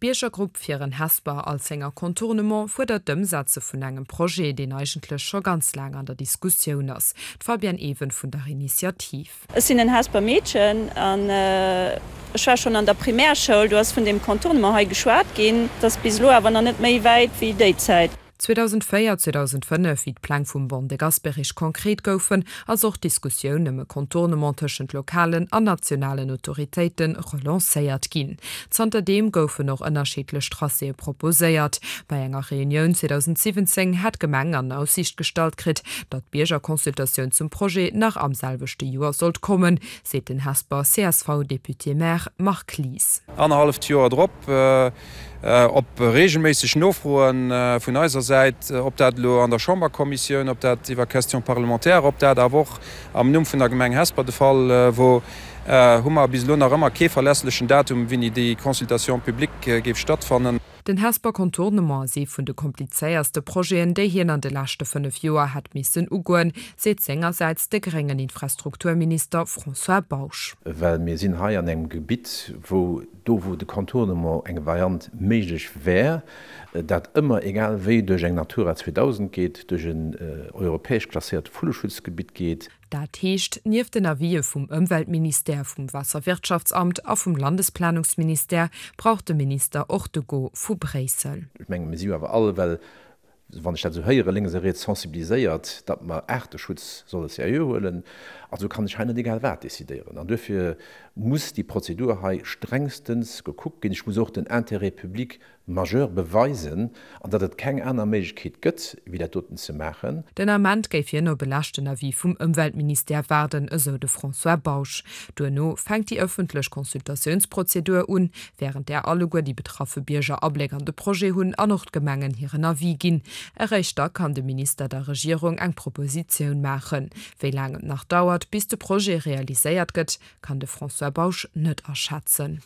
D'Biergergrupp Fir en Hesper Alzenger Contournement fuerdert d'Ëmsetze vun engem Projet, deen eigentlech scho ganz laang an der Diskussioun ass. D'Fabienne Even vun der Initiativ. Ech sinn en Hesper Meedchen an ech war schonn an der Primärschoul, do ass vun deem Contournement hei geschwat ginn. Et ass bis elo awer nach net méi wäit wéi déi Zäit. 2004, 2005, wéi d'Pläng vum Ban de Gasperich konkret goufen, ass och d'Diskussioun ëm e Contournement tëschent lokalen an nationalen Autoritéite relancéiert ginn. Zanterdeem goufen och ënnerschiddlech Tracéë proposéiert. Bei enger Reunioun 2017 hätt d'Gemeng an Aussiicht gestallt kritt, datt d'Biergerconsultatioun zum Projet nach am selwechte Joer sollt kommen, seet den Hesper CSV-Député-Maire Marc Lies. Annerhalleft Joer drop Op reegelméisseg Nofroe vun eiser Säit, ob dat elo an der Chamberkommissioun, ob dat iwwer Questions parlementaires, ob dat awer och am Numm vun der Gemeng Hesper de Fall wor, hu mer bis elo nach ëmmer kee verlässlechen Datum, wéini déi Consultation publique géif stattfannen. Den Hesper Contournement ass ee vun de komplizéierste Projeten, déi hien an de leschte 5 Joer hätt missen ugoen, seet sengersäits de gréngen Infrastrukturminister François Bausch. Well mir sinn hei an engem Gebitt, wou Do wou de Contournement eng Variant méiglech wär, dat ëmmer egal wéi duerch eng Natura 2000 geet, duerch en europäesch klasséiert Vulleschutzgebitt geet. Dat heescht, nieft den Avisë vum Ëmweltministère, vum Waasserwirtschaftsamt a vum Landesplanungsministère brauch de Minister och de Go vu Bréissel. Ech menge mir si jo awer all, well wann ech dat esou héieren, lénks a riets sensibiliséiert, datt mer Aarteschutz solle seriö huelen. Also kann ech hei net egal wat decidéieren. An duerfir muss déi Prozedur hei strengstens gekuckt ginn. Ech muss och den Intérêt public majeur beweisen an datt et keng aner Méiglechkeet gëtt, wéi dat doten ze maachen. Den Ament géif hien op e leschten Avis vum Ëmweltministère waarden, esou de François Bausch. Duerno fänkt déi ëffentlech Consultatiounsprozedur un, wärend där alleguer déi betraffe Bierger Abléck an de Projet hunn an och d'Gemengen hiren Avis ginn. Eréischt da kann de Minister der Regierung eng Propositioun maachen. Wéi laang et nach dauert, bis de Projet realiséiert gëtt, kann de François Bausch net aschätzen.